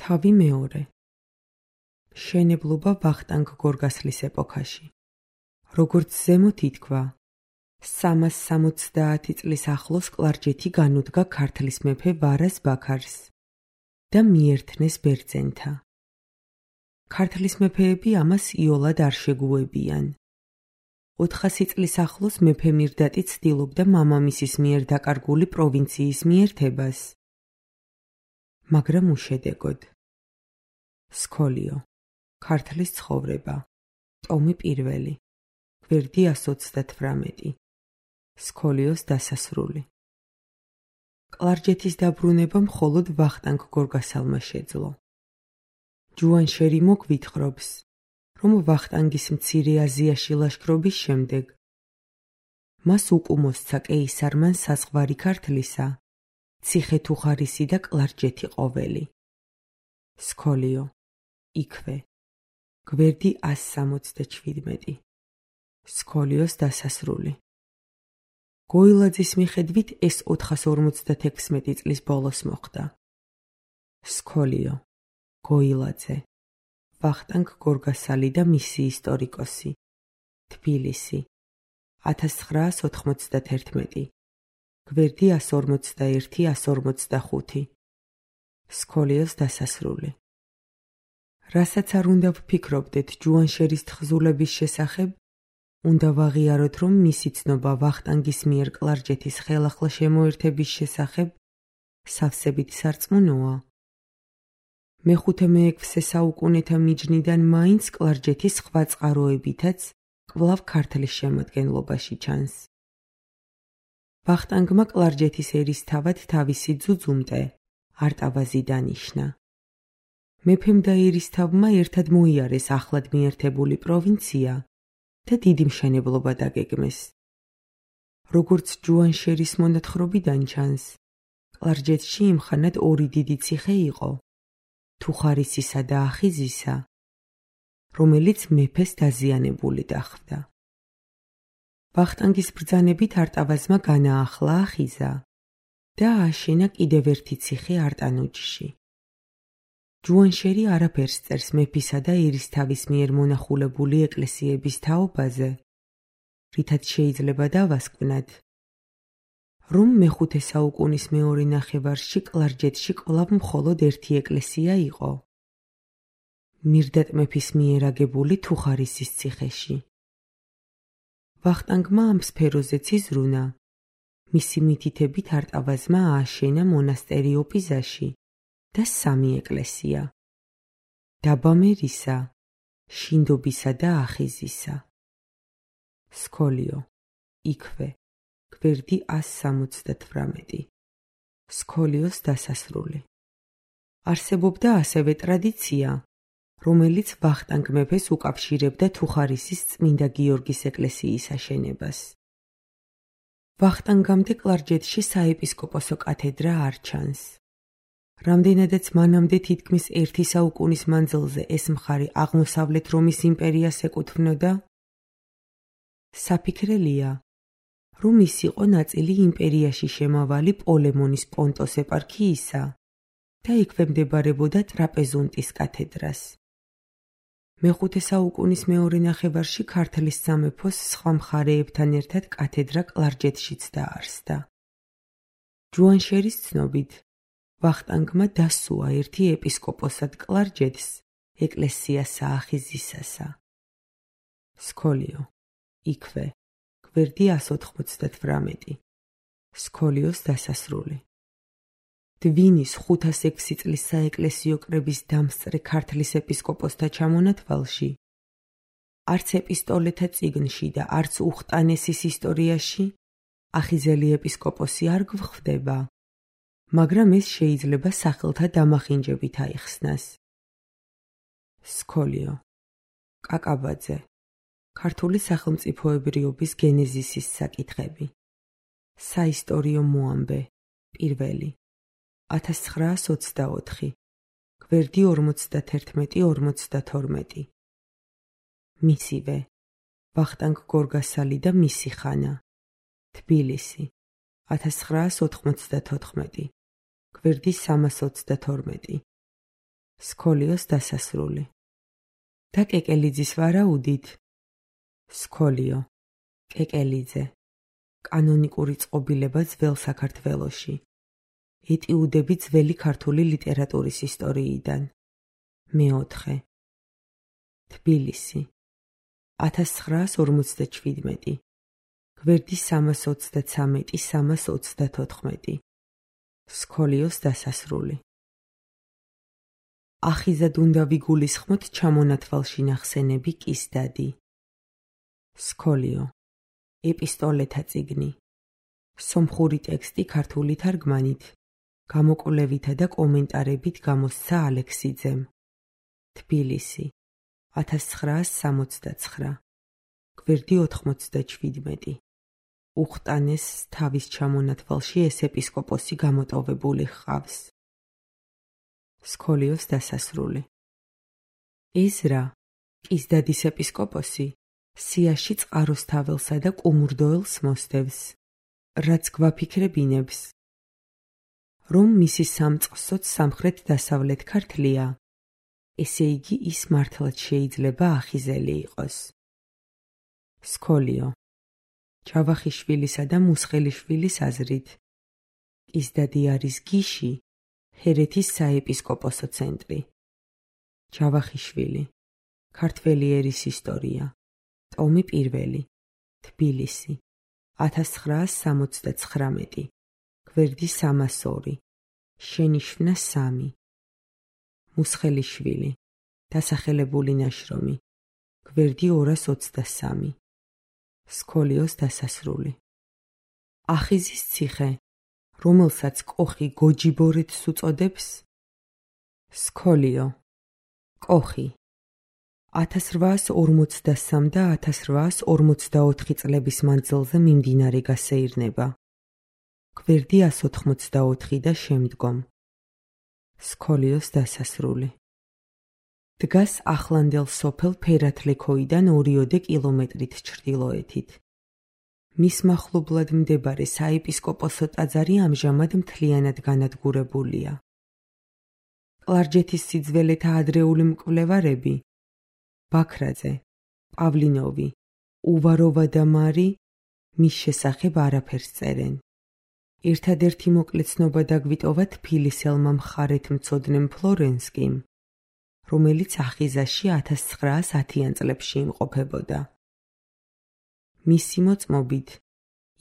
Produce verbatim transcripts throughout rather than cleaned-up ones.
თავი მეორე. მშენებლობა ვახტანგ გორგასლის ეპოქაში. როგორც ზემოთ ითქვა, სამას სამოცდაათი წლის ახლოს კლარჯეთი განუდგა ქართლის მეფე ვარას ბაქარს და მიერთნეს ბერძენთა. ქართლის მეფეები ამას იოლად არ შეგუებიან. ოთხასი წლის ახლოს მეფე მირდატი ცდილობდა მამამისის მიერ დაკარგული პროვინციის მიერთებას, მაგრამ უშედეგოდ. სქოლიო, ქართლის ცხოვრება, ტომი პირველი, გვერდი ასი ოცდათვრამეტი, სქოლიოს დასასრული. კლარჯეთის დაბრუნება მხოლოდ ვახტანგ გორგასალმა შეძლო. ჯუანშერი მოგვითხრობს, რომ ვახტანგის მცირე აზიაში ლაშქრობის შემდეგ მას უკუმოსცა კეისარმან საზღვარი ქართლისა, ციხე-თუხარისი და კლარჯეთი ყოველი. სქოლიო, იქვე, გვერდი ასი სამოცდაჩვიდმეტი, სქოლიოს დასასრული. გოილაძის მიხედვით ეს ოთხას ორმოცდათექვსმეტი წლის ბოლოს მოხდა. სქოლიო, გოილაძე, ვახტანგ გორგასალი და მისი ისტორიკოსი, თბილისი, ათას ცხრაას ოთხმოცდათერთმეტი, გვერდი ასი ორმოცდაერთი ასი ორმოცდახუთი, სქოლიოს დასასრული. რასაც არ უნდა ვფიქრობდეთ ჯუანშერის თხზულების შესახებ, უნდა ვაღიაროთ, რომ მისი ცნობა ვახტანგის მიერ კლარჯეთის ხელახლა შემოერთების შესახებ სავსებით სარწმუნოა. მეხუთე მეექვსე საუკუნეთა მიჯნიდან მაინც კლარჯეთის სხვა წყაროებითაც კვლავ ქართლის შემადგენლობაში ჩანს. ვახტანგმა კლარჯეთის ერისთავად თავისი ძუძუმტე არტავაზი დანიშნა. მეფემ და ერისთავმა ერთად მოიარეს ახლად მიერთებული პროვინცია და დიდი მშენებლობა დაგეგმეს. როგორც ჯუანშერის მონათხრობიდან ჩანს, კლარჯეთში იმხანად ორი დიდი ციხე იყო, თუხარისისა და ახიზისა, რომელიც მეფეს დაზიანებული დახვდა. ვახტანგის ბრძანებით არტავაზმა განაახლა ახიზა და ააშენა კიდევ ერთი ციხე არტანუჯში. ჯუანშერი არაფერს წერს მეფისა და ერისთავის მიერ მონახულებული ეკლესიების თაობაზე, რითაც შეიძლება დავასკვნათ, რომ მეხუთე საუკუნის მეორე ნახევარში კლარჯეთში კვლავ მხოლოდ ერთი ეკლესია იყო, მირდატ მეფის მიერ აგებული თუხარისის ციხეში. ვახტანგმა ამ სფეროზეც იზრუნა, მისი მითითებით არტავაზმა ააშენა მონასტერი ოპიზაში და სამი ეკლესია, დაბამერისა, შინდობისა და ახიზისა. სქოლიო, იქვე, გვერდი ასი სამოცდათვრამეტი, სქოლიოს დასასრული. არსებობდა ასევე ტრადიცია, რომელიც ვახტანგ მეფეს უკავშირებდა თუხარისის წმინდა გიორგის ეკლესიის აშენებას. ვახტანგამდე კლარჯეთში საეპისკოპოსო კათედრა არ ჩანს. რამდენადაც მანამდე თითქმის ერთი საუკუნის მანძილზე ეს მხარე აღმოსავლეთ რომის იმპერიას ეკუთვნოდა, საფიქრელია, რომ ის იყო ნაწილი იმპერიაში შემავალი პოლემონის პონტოს ეპარქიისა და ექვემდებარებოდა ტრაპეზუნტის კათედრას. მეხუთე საუკუნის მეორე ნახევარში ქართლის სამეფოს სხვა მხარეებთან ერთად კათედრა კლარჯეთშიც დაარსდა. ჯუანშერის ცნობით, ვახტანგმა დასუა ერთი ეპისკოპოსად კლარჯეთს ეკლესია საახიზისასა. სქოლიო, იქვე, გვერდი ასი ოთხმოცდათვრამეტი, სქოლიოს დასასრული. დვინის ხუთას ექვსი წლის საეკლესიო კრების დამსწრე ქართლის ეპისკოპოსთა ჩამონათვალში, არც ეპისტოლეთა წიგნში და არც უხტანესის ისტორიაში ახიზელი ეპისკოპოსი არ გვხვდება, მაგრამ ეს შეიძლება სახელთა დამახინჯებით აიხსნას. სქოლიო, კაკაბაძე, ქართული სახელმწიფოებრიობის გენეზისის საკითხები, საისტორიო მოამბე, პირველი, ათას ცხრაას ოცდაოთხი, გვერდი ორმოცდათერთმეტი ორმოცდათორმეტი. მისივე, ვახტანგ გორგასალი და მისი ხანა, თბილისი, ათას ცხრაას ოთხმოცდათოთხმეტი, გვერდი სამას ოცდათორმეტი, სქოლიოს დასასრული. და კეკელიძის ვარაუდით. სქოლიო, კეკელიძე, კანონიკური წყობილება ძველ საქართველოში. ეტიუდები ძველი ქართული ლიტერატურის ისტორიიდან. მეოთხე. თბილისი, ათას ცხრაას ორმოცდაჩვიდმეტი. გვერდი სამას ოცდათსამეტი სამას ოცდათოთხმეტი. სქოლიოს დასასრული. ახიზად უნდა ვიგულისხმოთ ჩამონათვალში ნახსენები კისდადი. სქოლიო, ეპისტოლეთა წიგნი. სომხური ტექსტი ქართული თარგმანით, გამოკვლევითა და კომენტარებით გამოსცა ალექსიძემ. თბილისი, ათას ცხრაას სამოცდაცხრა. გვერდი ოთხმოცდაჩვიდმეტი. უხტანეს თავის ჩამონათვალში ეს ეპისკოპოსი გამოტოვებული ჰყავს. სქოლიოს დასასრული. ეზრა, კისდადის ეპისკოპოსი, სიაში წყაროსთაველსა და კუმურდოელს მოსდევს, რაც გვაფიქრებინებს, რომ მისი სამწყსოც სამხრეთ-დასავლეთ ქართლია, ესე იგი ის მართლაც შეიძლება ახიზელი იყოს. სქოლიო, ჯავახიშვილისა და მუსხელიშვილის აზრით, კისდადი არის გიში, ჰერეთის საეპისკოპოსო ცენტრი. ჯავახიშვილი, ქართველი ერის ისტორია, ტომი პირველი, თბილისი, ათას ცხრაას სამოცდაცხრამეტი. გვერდი სამას ორი. შენიშვნა სამი. მუსხელიშვილი, დასახელებული ნაშრომი, გვერდი ორას ოცდასამი. სქოლიოს დასასრული. ახიზის ციხე, რომელსაც კოხი გოჯიბორეთს უწოდებს. სქოლიო, კოხი, ათას რვაას ორმოცდასამ და ათას რვაას ორმოცდაოთხი წლების მანძილზე მიმდინარე გასეირნება. გვერდი ას ოთხმოცდაოთხი და შემდგომ. სქოლიოს დასასრული. დგას ახლანდელ სოფელ ფერათლექოიდან ორიოდე კილომეტრით ჩრდილოეთით. მის მახლობლად მდებარე საეპისკოპოსო ტაძარი ამჟამად მთლიანად განადგურებულია. კლარჯეთის სიძველეთა ადრეული მკვლევარები ბაქრაძე, პავლინოვი, უვაროვა და მარი მის შესახებ არაფერს წერენ. ერთადერთი მოკლე ცნობა დაგვიტოვა თბილისელმა მხარეთმცოდნემ ფლორენსკიმ, რომელიც ახიზაში ათას ცხრაას ათიან წლებში იმყოფებოდა. მისი მოწმობით,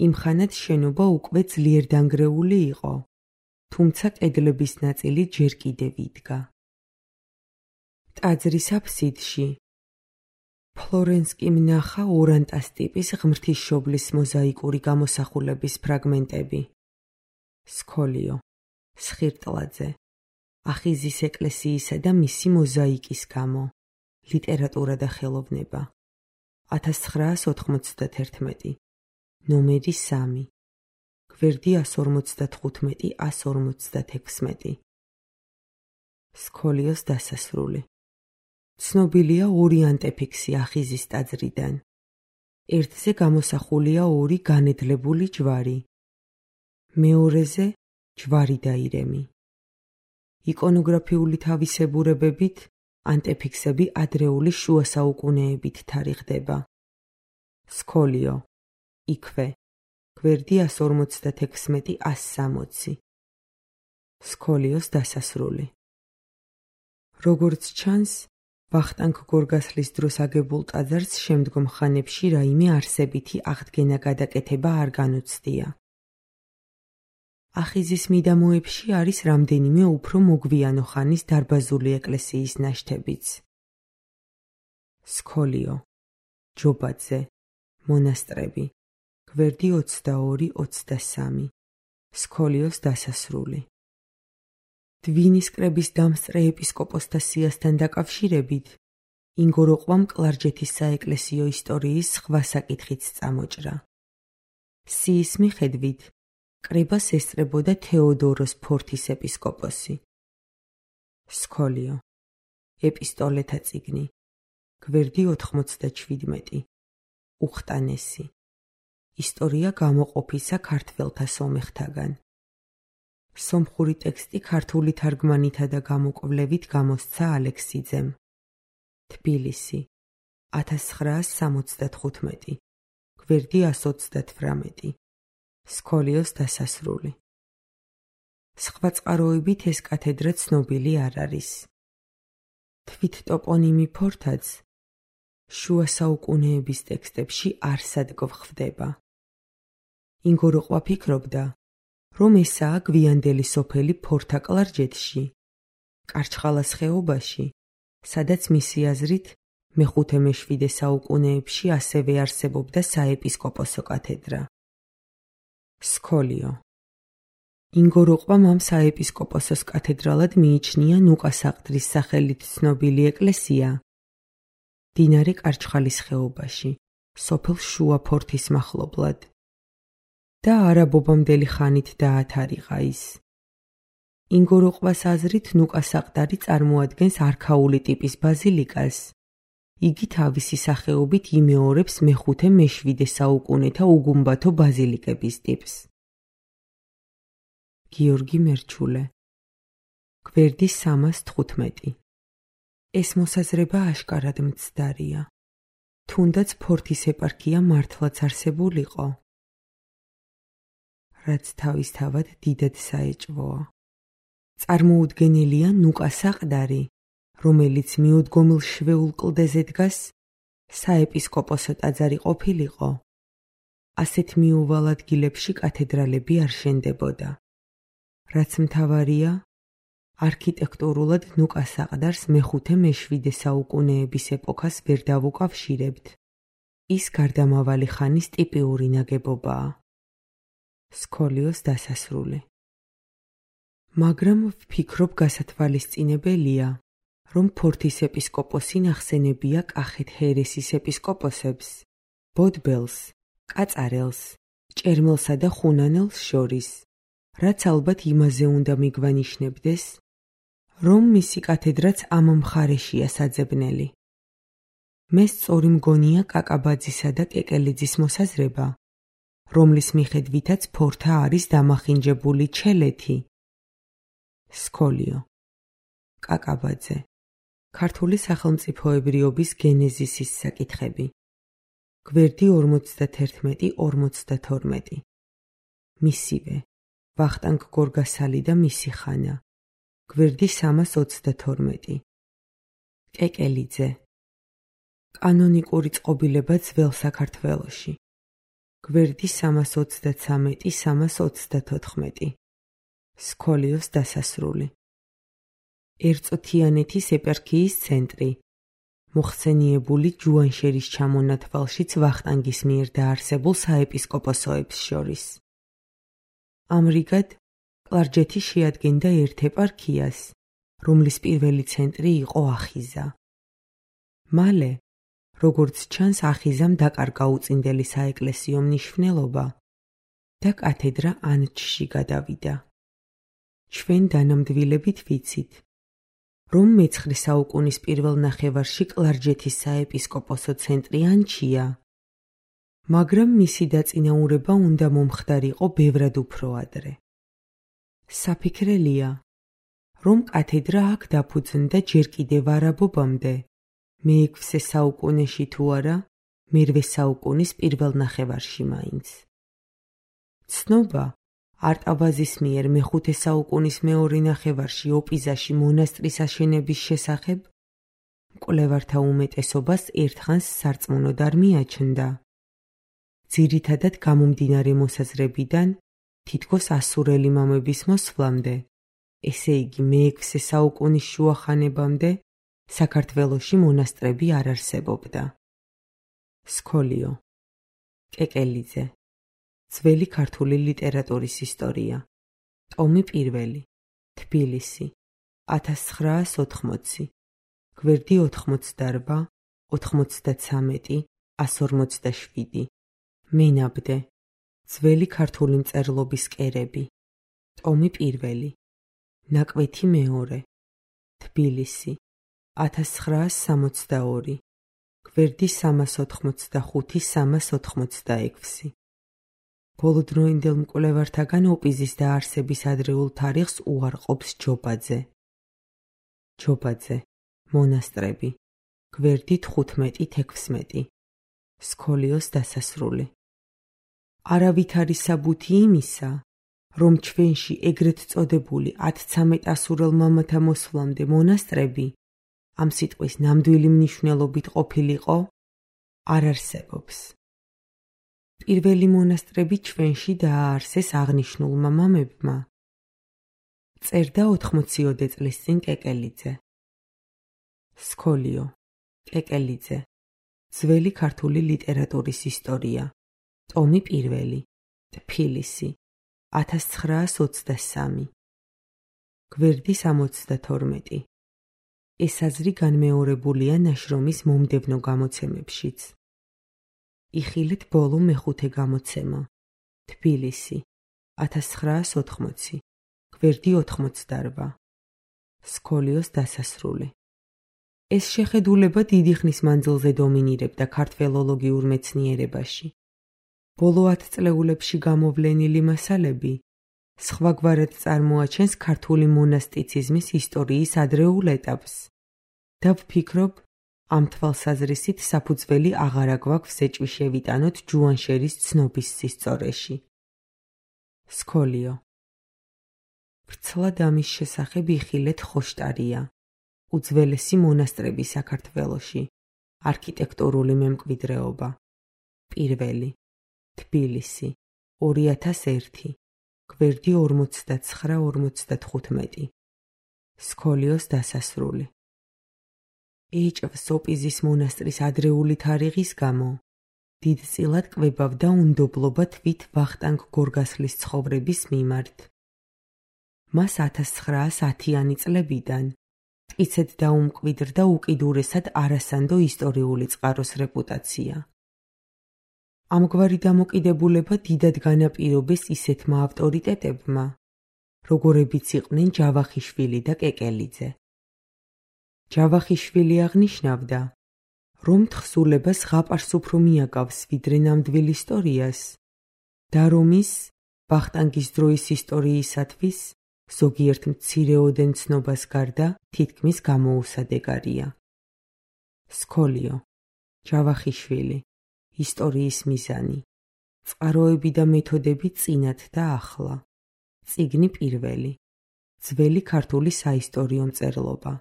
იმხანად შენობა უკვე ძლიერ დანგრეული იყო, თუმცა კედლების ნაწილი ჯერ კიდევ იდგა. ტაძრის აფსიდში ფლორენსკიმ ნახა ორანტას ტიპის ღმრთისმშობლის მოზაიკური გამოსახულების ფრაგმენტები. სქოლიო, სხირტლაძე, ახიზის ეკლესიისა და მისი მოზაიკის გამო, ლიტერატურა და ხელოვნება. ათას ცხრაას ოთხმოცდათერთმეტი. ნომერი სამი. გვერდი ას ორმოცდათხუთმეტი ას ორმოცდათექვსმეტი. სქოლიოს დასასრული. ცნობილია ორი ანტეფიქსი ახიზის ტაძრიდან. ერთზე გამოსახულია ორი განედლებული ჯვარი. მეორეზე ჯვარი და ირემი. იკონოგრაფიული თავისებურებებით ანტეფიქსები ადრეული შუა საუკუნეებით თარიღდება. სქოლიო, იქვე, გვერდი ას ორმოცდათექვსმეტი ას სამოცი. სქოლიოს დასასრული. როგორც ჩანს, ვახტანგ გორგასლის დროს აგებულ ტაძარს შემდგომ ხანებში რაიმე არსებითი აღდგენა გადაკეთება არ განუცდია. ახიზის მიდამოებში არის რამდენიმე უფრო მოგვიანო ხანის დარბაზული ეკლესიის ნაშთებიც. სქოლიო, ჯობაძე, მონასტრები, გვერდი ოცდაორი ოცდასამი. სქოლიოს დასასრული. დვინის კრების დამსწრე ეპისკოპოსთა სიასთან დაკავშირებით ინგოროყვამ კლარჯეთის საეკლესიო ისტორიის სხვა საკითხიც წამოჭრა. სიის მიხედვით კრებას ესწრებოდა თეოდოროს ფორთის ეპისკოპოსი. სქოლიო, ეპისტოლეთა წიგნი, გვერდი ოთხმოცდაჩვიდმეტი. უხტანესი, ისტორია გამოყოფისა ქართველთა სომეხთაგან. სომხური ტექსტი ქართული თარგმანითა და გამოკვლევით გამოსცა ალექსიძემ. თბილისი, ათას ცხრაას სამოცდათხუთმეტი, გვერდი ასს ოცდათვრამეტი, სქოლიოს დასასრული. სხვა წყაროებით ეს კათედრა ცნობილი არ არის. თვით ტოპონიმი ფორთაც შუა საუკუნეების ტექსტებში არსად გვხვდება. ინგოროყვა ფიქრობდა, რომ ესაა გვიანდელი სოფელი ფორთა კლარჯეთში, კარჩხალას ხეობაში, სადაც მისი აზრით მეხუთე-მეშვიდე საუკუნეებში ასევე არსებობდა საეპისკოპოსო კათედრა. სქოლიო. ინგოროყვამ ამ საეპისკოპოსოს კათედრალად მიიჩნია ნუკა საყდრის სახელით ცნობილი ეკლესია მდინარე კარჩხალის ხეობაში, სოფელ შუა ფორთის მახლობლად და არაბობამდელი ხანით დაათარიღა ის. ინგოროყვას აზრით ნუკა საყდარი წარმოადგენს არქაული ტიპის ბაზილიკას. იგი თავისი სახეობით იმეორებს მეხუთე-მეშვიდე საუკუნეთა უგუმბათო ბაზილიკების ტიპს. გიორგი მერჩულე, გვერდი სამას თხუთმეტი. ეს მოსაზრება აშკარად მცდარია. თუნდაც ფორთის ეპარქია მართლაც არსებულიყო, რაც თავისთავად დიდად საეჭვოა. წარმოუდგენელია ნუკა საყდარი, რომელიც მიუდგომელ შვეულ კლდეზე დგას, საეპისკოპოსო ტაძარი ყოფილიყო. ასეთ მიუვალ ადგილებში კათედრალები არ შენდებოდა. რაც მთავარია, არქიტექტურულად ნუკა საყდარს მეხუთე-მეშვიდე საუკუნეების ეპოქას ვერ დავუკავშირებთ. ის გარდამავალი ხანის ტიპიური ნაგებობაა. სქოლიოს დასასრული. მაგრამ ვფიქრობ გასათვალისწინებელია, რომ ფორთის ეპისკოპოსი ნახსენებია კახეთ ჰერესის ეპისკოპოსებს, ბოდბელს, კაწარელს, ჭერმელსა და ხუნანელს შორის, რაც ალბათ იმაზე უნდა მიგვანიშნებდეს, რომ მისი კათედრაც ამ მხარეშია საძებნელი. მე სწორი მგონია კაკაბაძისა და კეკელიძის მოსაზრება, რომლის მიხედვითაც ფორთა არის დამახინჯებული ჩელეთი. სქოლიო. კაკაბაძე. ქართული სახელმწიფოებრიობის გენეზისის საკითხები. გვერდი ორმოცდათერთმეტი ორმოცდათორმეტი. მისივე. ვახტანგ გორგასალი და მისი ხანა. გვერდი სამას ოცდათორმეტი. კეკელიძე. კანონიკური წყობილება ძველ საქართველოში. გვერდი სამას ოცდაცამეტი სამას ოცდათოთხმეტი. სქოლიოს დასასრული. ერწოთიანეთის ეპარქიის ცენტრი. მოხსენიებული ჯუანშერის ჩამონათვალშიც ვახტანგის მიერ დაარსებულ საეპისკოპოსოებს შორის. ამრიგად, კლარჯეთი შეადგენდა ერთ ეპარქიას, რომლის პირველი ცენტრი იყო ახიზა. მალე, როგორც ჩანს, ახიზამ დაკარგა უწინდელი საეკლესიო მნიშვნელობა და კათედრა ანჩში გადავიდა. ჩვენ დანამდვილებით ვიცით, რომ მეცხრე საუკუნის პირველ ნახევარში კლარჯეთის საეპისკოპოსო ცენტრი ანჩია, მაგრამ მისი დაწინაურება უნდა მომხდარიყო ბევრად უფრო ადრე. საფიქრელია, რომ კათედრა აქ დაფუძნდა ჯერ კიდევ არაბობამდე, მეექვსე საუკუნეში თუ არა, მერვე საუკუნის პირველ ნახევარში მაინც. ცნობა, არტავაზის მიერ მეხუთე საუკუნის მეორე ნახევარში ოპიზაში მონასტრის აშენების შესახებ მკვლევართა უმეტესობას ერთხანს სარწმუნოდ არ მიაჩნდა. ძირითადად გამომდინარე მოსაზრებიდან, თითქოს ასურელი მამების მოსვლამდე, ესე იგი მეექვსე საუკუნის შუახანებამდე, საქართველოში მონასტრები არ არსებობდა. სქოლიო. კეკელიძე. ძველი ქართული ლიტერატურის ისტორია. ტომი პირველი. თბილისი. ათას ცხრაას ოთხმოცი. გვერდი ოთხმოცდარვა, ოთხმოცდაცამეტი, ასს ორმოცდაშვიდი. მენაბდე. ძველი ქართული მწერლობის კერები. ტომი პირველი. ნაკვეთი მეორე. თბილისი. ათას ცხრაას სამოცდაორი. გვერდი სამას ოთხმოცდახუთი, სამას ოთხმოცდაექვსი. ბოლოდროინდელ მკვლევართაგან ოპიზის დაარსების ადრეულ თარიღს უარყოფს ჯობაძე. ჯობაძე, მონასტრები, გვერდი თხუთმეტი თექვსმეტი, სქოლიოს დასასრული. არავითარი საბუთი იმისა, რომ ჩვენში ეგრეთ წოდებული ათცამეტ ასურელ მამათა მოსვლამდე მონასტრები ამ სიტყვის ნამდვილი მნიშვნელობით ყოფილიყო, არ არსებობს. პირველი მონასტრები ჩვენში დააარსეს აღნიშნულმა მამებმა. წერდა ოთხმოციოდე წლის წინ კეკელიძე. სქოლიო, კეკელიძე, ძველი ქართული ლიტერატურის ისტორია, ტომი პირველი, თბილისი, ათას ცხრაას ოცდასამი. გვერდი სამოცდათორმეტი. ეს აზრი განმეორებულია ნაშრომის მომდევნო გამოცემებშიც. იხილეთ ბოლო მეხუთე გამოცემა. თბილისი, ათას ცხრაას ოთხმოცი. გვერდი ოთხმოცდარვა. სქოლიოს დასასრული. ეს შეხედულება დიდი ხნის მანძილზე დომინირებდა ქართველოლოგიურ მეცნიერებაში. ბოლო ათწლეულებში გამოვლენილი მასალები სხვაგვარად წარმოაჩენს ქართული მონასტიციზმის ისტორიის ადრეულ ეტაპს და ვფიქრობ, ამ თვალსაზრისით საფუძველი აღარა გვაქვს ეჭვი შევიტანოთ ჯუანშერის ცნობის სისწორეში. სქოლიო. ვრცლად ამის შესახებ იხილეთ ხოშტარია, უძველესი მონასტრები საქართველოში, არქიტექტურული მემკვიდრეობა. პირველი. თბილისი, ორი ათას ერთი, გვერდი ორმოცდაცხრა ორმოცდათხუთმეტი. სქოლიოს დასასრული. ეჭვს ოპიზის მონასტრის ადრეული თარიღის გამო დიდწილად კვებავდა უნდობლობა თვით ვახტანგ გორგასლის ცხოვრების მიმართ. მას ათას ცხრაას ათიანი წლებიდან მტკიცედ დაუმკვიდრდა უკიდურესად არასანდო ისტორიული წყაროს რეპუტაცია. ამგვარი დამოკიდებულება დიდად განაპირობეს ისეთმა ავტორიტეტებმა, როგორებიც იყვნენ ჯავახიშვილი და კეკელიძე. ჯავახიშვილი აღნიშნავდა, რომ თხზულებას ზღაპარს უფრო მიაკავს ვიდრე ნამდვილ ისტორიას და რომ ის ვახტანგის დროის ისტორიისათვის ზოგიერთ მცირეოდენ ცნობას გარდა თითქმის გამოუსადეგარია. სქოლიო, ჯავახიშვილი, ისტორიის მიზანი, წყაროები და მეთოდები წინათ და ახლა, წიგნი პირველი, ძველი ქართული საისტორიო მწერლობა.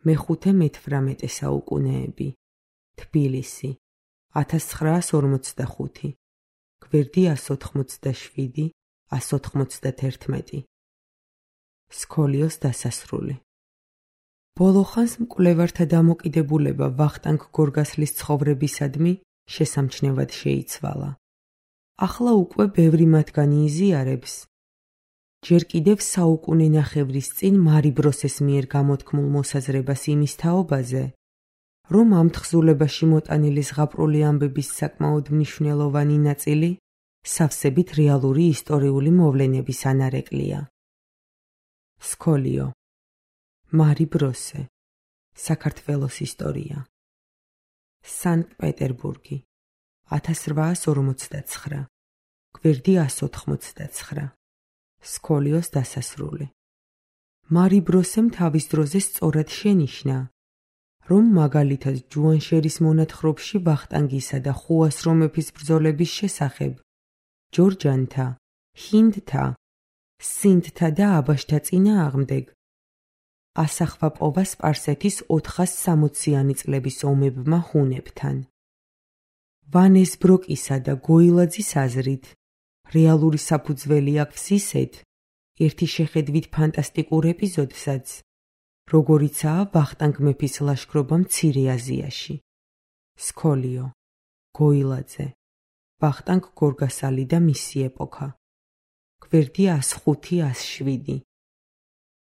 მეხუთე მეთვრამეტე საუკუნეები, თბილისი, ათას ცხრაას ორმოცდახუთი, გვერდი ას ოთხმოცდაშვიდი ას ოთხმოცდათერთმეტი. სქოლიოს დასასრული. ბოლო ხანს მკვლევართა დამოკიდებულება ვახტანგ გორგასლის ცხოვრებისადმი შესამჩნევად შეიცვალა. ახლა უკვე ბევრი მათგანი იზიარებს, ჯერ კიდევ საუკუნე ნახევრის წინ მარი ბროსეს მიერ გამოთქმულ მოსაზრებას იმის თაობაზე, რომ ამ თხზულებაში მოტანილი ზღაპრული ამბების საკმაოდ მნიშვნელოვანი ნაწილი სავსებით რეალური ისტორიული მოვლენების ანარეკლია. სქოლიო, მარი ბროსე, საქართველოს ისტორია. სანქტ-პეტერბურგი, ათას რვაას ორმოცდაცხრა, გვერდი ას ოთხმოცდაცხრა. სქოლიოს დასასრული. მარი ბროსემ თავის დროზე სწორად შენიშნა, რომ მაგალითად ჯუანშერის მონათხრობში ვახტანგისა და ხუასრო მეფის ბრძოლების შესახებ ჯორჯანთა, ჰინდთა, სინდთა და აბაშთა წინააღმდეგ ასახვა პოვა სპარსეთის ოთხას სამოციანი წლების ომებმა ჰუნებთან. ვანესბროკისა და გოილაძის აზრით, რეალური საფუძველი აქვს ისეთ, ერთი შეხედვით ფანტასტიკურ ეპიზოდსაც, როგორიცაა ვახტანგ მეფის ლაშქრობა მცირე აზიაში. სქოლიო, გოილაძე, ვახტანგ გორგასალი და მისი ეპოქა. გვერდი ას ხუთი ას შვიდი.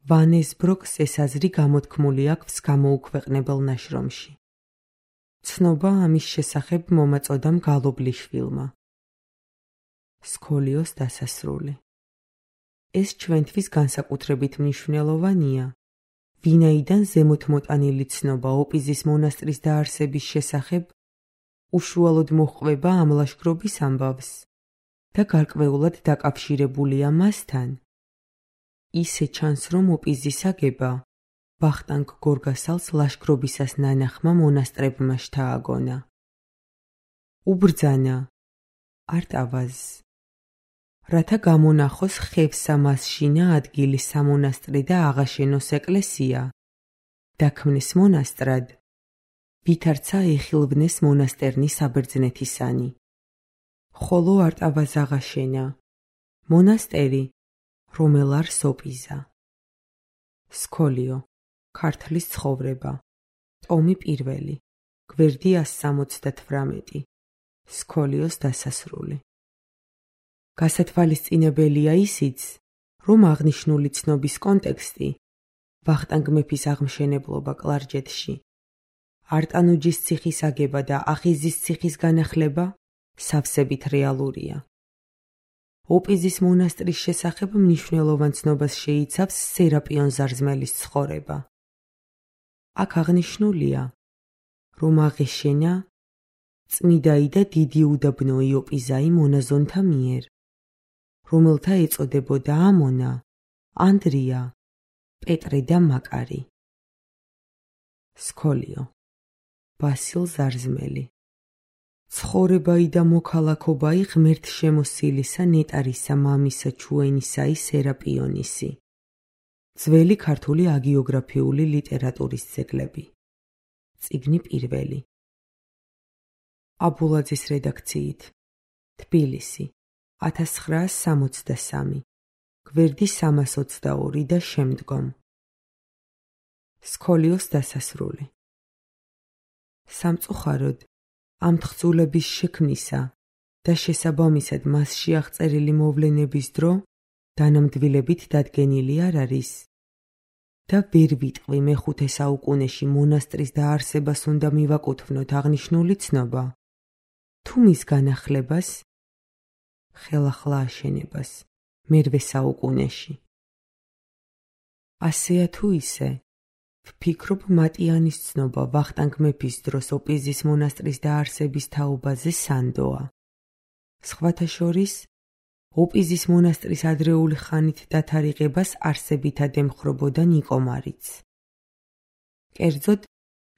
ვანესბროკს ეს აზრი გამოთქმული აქვს გამოუქვეყნებელ ნაშრომში. ცნობა ამის შესახებ მომაწოდამ გალობლიშვილმა. სქოლიოს დასასრული. ეს ჩვენთვის განსაკუთრებით მნიშვნელოვანია, ვინაიდან ზემოთ მოტანილი ცნობა ოპიზის მონასტრის დაარსების შესახებ უშუალოდ მოჰყვება ამ ლაშქრობის ამბავს და გარკვეულად დაკავშირებულია მასთან. ისე ჩანს, რომ ოპიზის აგება ვახტანგ გორგასალს ლაშქრობისას ნანახმა მონასტრებმა შთააგონა. უბრძანა არტავაზს, რათა გამონახოს ხევსა მასშინა ადგილი სამონასტრი და აღაშენოს ეკლესია, დაქმნეს მონასტრად, ვითარცა ეხილვნეს მონასტერნი საბერძნეთისანი. ხოლო არტავაზ აღაშენა მონასტერი, რომელ არ სოპიზა. სქოლიო, ქართლის ცხოვრება, ტომი პირველი, გვერდი ას სამოცდათვრამეტი, სქოლიოს დასასრული. გასათვალისწინებელია ისიც, რომ აღნიშნული ცნობის კონტექსტი, ვახტანგ მეფის აღმშენებლობა კლარჯეთში, არტანუჯის ციხის აგება და ახიზის ციხის განახლება სავსებით რეალურია. ოპიზის მონასტრის შესახებ მნიშვნელოვან ცნობას შეიცავს სერაპიონ ზარზმელის ცხოვრება. აქ აღნიშნულია, რომ აღეშენა წმიდაი და დიდი უდაბნოი ოპიზაი მონაზონთა მიერ, რომელთა ეწოდებოდა ამონა, ანდრია, პეტრე და მაკარი. სქოლიო, ბასილ ზარზმელი. ცხოვრებაი და მოქალაქობაი ღმერთშემოსილისა ნეტარისა მამისა ჩუენისაი სერაპიონისი. ძველი ქართული აგიოგრაფიული ლიტერატურის ძეგლები. წიგნი პირველი. აბულაძის რედაქციით. თბილისი, ათას ცხრაას სამოცდასამი, გვერდი სამას ოცდაორი და შემდგომ. სქოლიოს დასასრული. სამწუხაროდ, ამ თხზულების შექმნისა და შესაბამისად მასში აღწერილი მოვლენების დრო დანამდვილებით დადგენილი არ არის და ვერ ვიტყვი მეხუთე საუკუნეში მონასტრის დაარსებას უნდა მივაკუთვნოთ აღნიშნული ცნობა, თუ მის განახლებას, ხელახლა აშენებას მერვე საუკუნეში. ასეა თუ ისე, ვფიქრობ მატიანის ცნობა ვახტანგ მეფის დროს ოპიზის მონასტრის დაარსების თაობაზე სანდოა. სხვათა შორის, ოპიზის მონასტრის ადრეული ხანით დათარიღებას არსებითად ემხრობოდა ნიკომარიც. კერძოდ,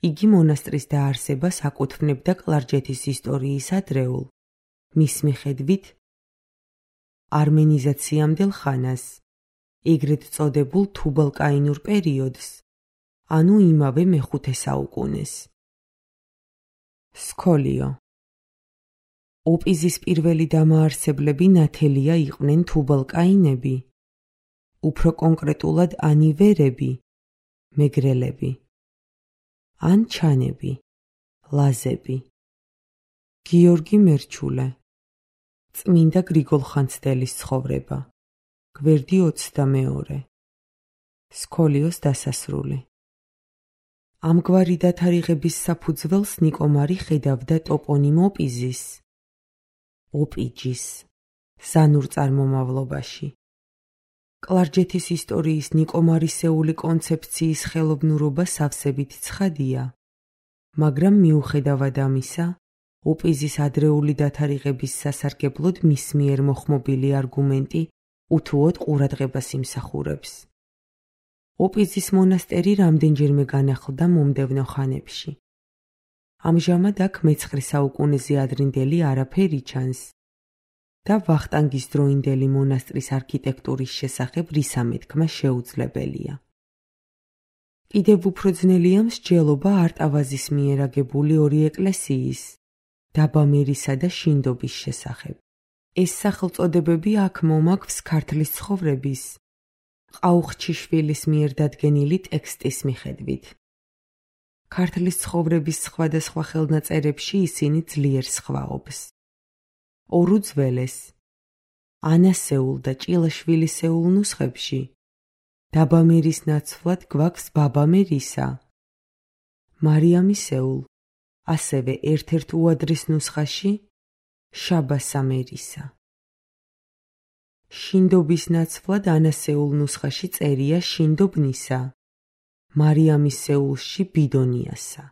იგი მონასტრის დაარსებას აკუთვნებდა კლარჯეთის ისტორიის ადრეულ, მის მიხედვით, არმენიზაციამდელ ხანას, ეგრეთ წოდებულ თუბალკაინურ პერიოდს, ანუ იმავე მეხუთე საუკუნეს. სქოლიო. ოპიზის პირველი დამაარსებლები ნათელია იყვნენ თუბალკაინები, უფრო კონკრეტულად ანივერები, მეგრელები, ან ჩანები, ლაზები. გიორგი მერჩულე. წმინდა გრიგოლ ხანძთელის ცხოვრება. გვერდი ოცდამეორე. სქოლიოს დასასრული. ამგვარი დათარიღების საფუძველს ნიკომარი ხედავდა ტოპონიმ ოპიზის, ოპიჯის, ზანურ წარმომავლობაში. კლარჯეთის ისტორიის ნიკომარისეული კონცეფციის ხელოვნურობა სავსებით ცხადია, მაგრამ მიუხედავად ამისა, ოპიზის ადრეული დათარიღების სასარგებლოდ მის მიერ მოხმობილი არგუმენტი უთუოდ ყურადღებას იმსახურებს. ოპიზის მონასტერი რამდენჯერმე განახლდა მომდევნო ხანებში. ამჟამად აქ მეცხრე საუკუნეზე ადრინდელი არაფერი ჩანს და ვახტანგის დროინდელი მონასტრის არქიტექტურის შესახებ რისამეთქმა შეუძლებელია. კიდევ უფრო ძნელია მსჯელობა არტავაზის მიერ აგებული ორი ეკლესიის, დაბამერისა და შინდობის შესახებ. ეს სახელწოდებები აქ მომაქვს ქართლის ცხოვრების, ყაუხჩიშვილის მიერ დადგენილი ტექსტის მიხედვით. ქართლის ცხოვრების სხვადასხვა ხელნაწერებში ისინი ძლიერ სხვაობს. ორუძველეს, ანასეულ და ჭილაშვილისეულ ნუსხებში დაბამერის ნაცვლად გვაქვს ბაბამერისა, მარიამისეულ, ასევე ერთ-ერთ უადრის ნუსხაში შაბასამერისა. შინდობის ნაცვლად ანასეულ ნუსხაში წერია შინდობნისა, მარიამისეულში ბიდონიასა.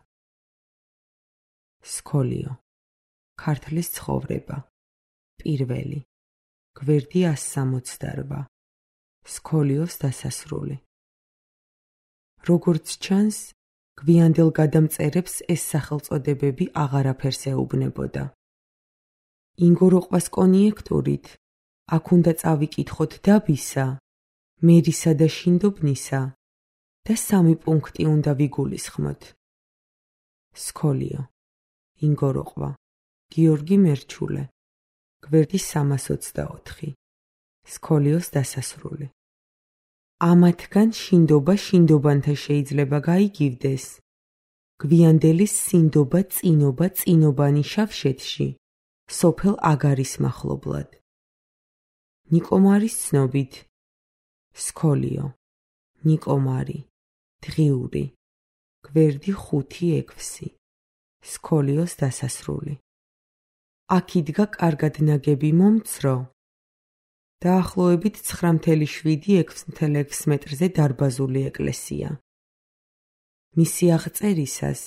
სქოლიო. ქართლის ცხოვრება. პირველი. გვერდი ას სამოცდარვა. სქოლიოს დასასრული. როგორც ჩანს, გვიანდელ გადამწერებს ეს სახელწოდებები აღარაფერს ეუბნებოდა. ინგოროყვას კონიექტურით აქ უნდა წავიკითხოთ დაბისა, მერისა და შინდობნისა და სამი პუნქტი უნდა ვიგულისხმოთ. სქოლიო, ინგოროყვა, გიორგი მერჩულე, გვერდი სამას ოცდაოთხი. სქოლიოს დასასრული. ამათგან შინდობა შინდობანთა შეიძლება გაიგივდეს. გვიანდელის სინდობა წინობა წინობანი შავშეთში, სოფელ აგარის მახლობლად. ნიკომარის ცნობით. სქოლიო, ნიკომარი, დღიური, გვერდი ხუთი ექვსი. სქოლიოს დასასრული. აქ იდგა კარგად ნაგები მომცრო, დაახლოებით ცხრა ათეული შვიდი ექვსი მეტრზე დარბაზული ეკლესია. მისი აღწერისას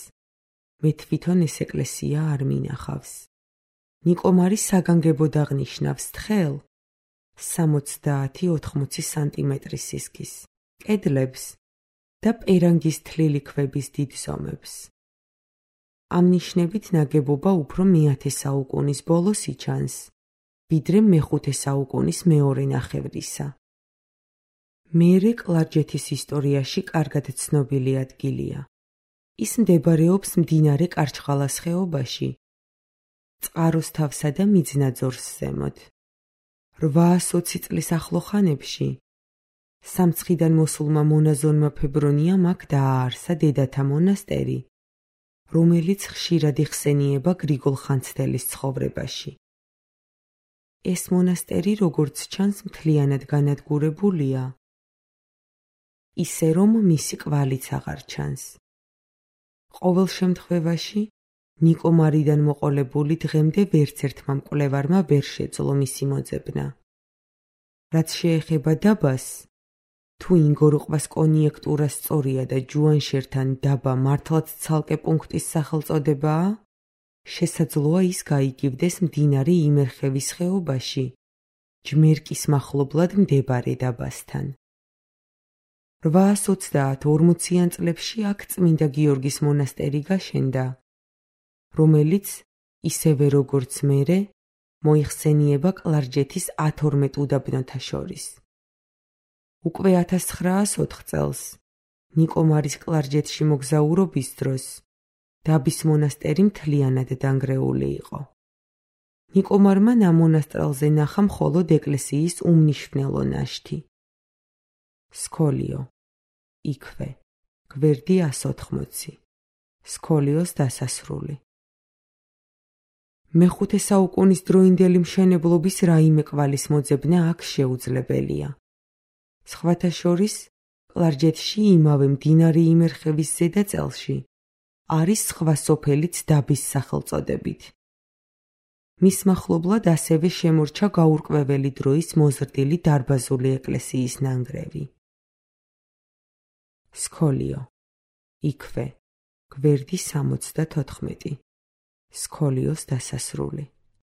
მე თვითონ ეს ეკლესია არ მინახავს. ნიკომარი საგანგებოდ აღნიშნავს თხელ სამოცდაათი ოთხმოცი სანტიმეტრის სისქის, კედლებს და პერანგის თლილი ქვების დიდ ზომებს. ამ ნიშნებით ნაგებობა უფრო მეათე საუკუნის ბოლოს იჩანს, ვიდრე მეხუთე საუკუნის მეორე ნახევრისა. მერე კლარჯეთის ისტორიაში კარგად ცნობილი ადგილია. ის მდებარეობს მდინარე კარჩხალას ხეობაში, წყაროს თავსა და მიძნაძორს ზემოთ. რვაასოცი წლის ახლო ხანებში სამცხიდან მოსულმა მონაზონმა ფებრონიამ აქ დააარსა დედათა მონასტერი, რომელიც ხშირად იხსენიება გრიგოლ ხანძთელის ცხოვრებაში. ეს მონასტერი, როგორც ჩანს, მთლიანად განადგურებულია, ისე რომ მისი კვალიც აღარ ჩანს. ყოველ შემთხვევაში, ნიკომარიდან მოყოლებული დღემდე ვერცერთმა მკვლევარმა ვერ შეძლო მისი მოძებნა. რაც შეეხება დაბას, თუ ინგოროყვას კონიექტურა სწორია და ჯუანშერთან დაბა მართლაც ცალკე პუნქტის სახელწოდებაა, შესაძლოა ის გაიგივდეს მდინარე იმერხევის ხეობაში, ჯმერკის მახლობლად მდებარე დაბასთან. რვაას ოცდაათ ორმოციან წლებში აქ წმინდა გიორგის მონასტერი გაშენდა, რომელიც, ისევე როგორც მერე, მოიხსენიება კლარჯეთის ათორმეტ უდაბნოთა შორის. უკვე ათას ცხრაას ოთხ წელს, ნიკომარის კლარჯეთში მოგზაურობის დროს, დაბის მონასტერი მთლიანად დანგრეული იყო. ნიკომარმა ნამონასტრალზე ნახა მხოლოდ ეკლესიის უმნიშვნელო ნაშთი. სქოლიო, იქვე, გვერდი ას ოთხმოცი. სქოლიოს დასასრული. მეხუთე საუკუნის დროინდელი მშენებლობის რაიმე კვალის მოძებნა აქ შეუძლებელია. სხვათა შორის, კლარჯეთში იმავე მდინარე იმერხევის ზედაწელში არის სხვა სოფელიც დაბის სახელწოდებით. მის მახლობლად ასევე შემორჩა გაურკვეველი დროის მოზრდილი დარბაზული ეკლესიის ნანგრევი. სქოლიო, იქვე, გვერდი სამოცდათოთხმეტი. სქოლიოს დასასრული.